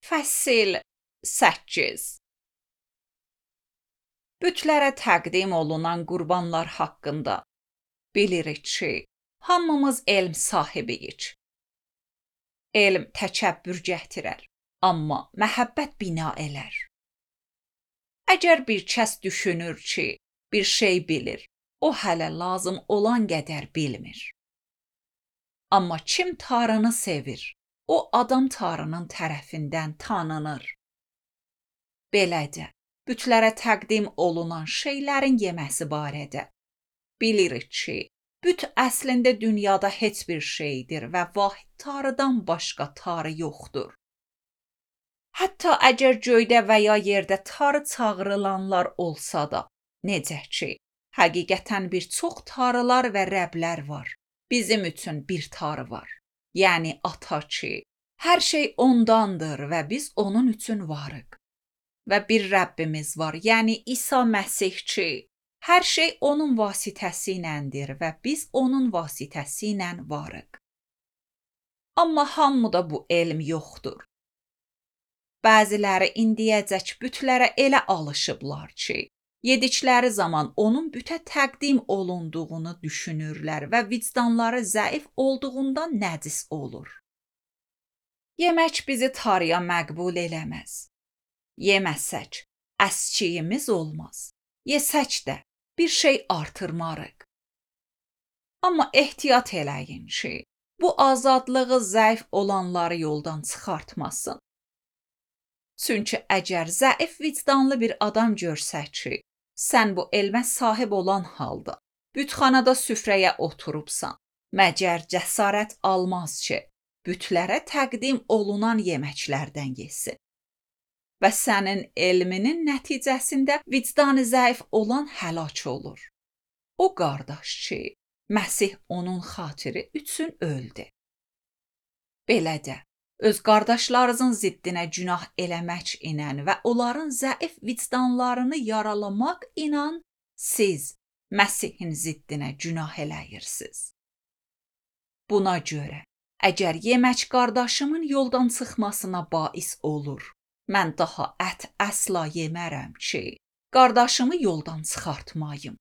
Fəsil 8. Bütlərə təqdim olunan qurbanlar haqqında bilirik ki, hamımız elm sahibiyik. Elm təkəbbür gətirər, amma məhəbbət bina elər. Əgər bir kəs düşünür ki, bir şey bilir, o hələ lazım olan qədər bilmir. Amma kim Tanrını sevir, o adam Tanrının tərəfindən tanınır. Belədə, bütlərə təqdim olunan şeylərin yeməsi barədə bilirik ki, büt əslində dünyada heç bir şeydir və vahid Tanrıdan başqa Tanrı yoxdur. Hətta əgər göydə və ya yerdə Tanrı çağırılanlar olsa da, necə ki, həqiqətən bir çox Tanrılar və Rəblər var. Bizim üçün bir Tanrı var, yəni Ata ki, hər şey ondandır və biz onun üçün varıq. Və bir Rəbbimiz var, yəni İsa Məsih ki, hər şey onun vasitəsiyləndir və biz onun vasitəsilə varıq. Amma hamıda bu elm yoxdur. Bəziləri indiyəcək bütlərə elə alışıblar ki, yedikləri zaman onun bütə təqdim olunduğunu düşünürlər və vicdanları zəif olduğundan nəcis olur. Yemək bizi Tanrıya məqbul eləməz. Yeməsək, əskiyimiz olmaz. Yesək də bir şey artırmarıq. Amma ehtiyat eləyin ki, bu azadlığı zəif olanları yoldan çıxartmasın. Çünki əgər zəif vicdanlı bir adam görsək ki, sən bu elmə sahib olan halda bütxanada süfrəyə oturubsan, məgər cəsarət almaz ki, bütlərə təqdim olunan yeməklərdən yesin. Və sənin elminin nəticəsində vicdanı zəif olan həlak olur. O qardaş ki, Məsih onun xatiri üçün öldü. Belədə, öz qardaşlarınızın ziddinə günah eləmək ilə və onların zəif vicdanlarını yaralamaq ilə siz Məsihin ziddinə günah eləyirsiniz. Buna görə, əgər yemək qardaşımın yoldan çıxmasına bais olur, mən daha ət əsla yemərəm ki, qardaşımı yoldan çıxartmayım.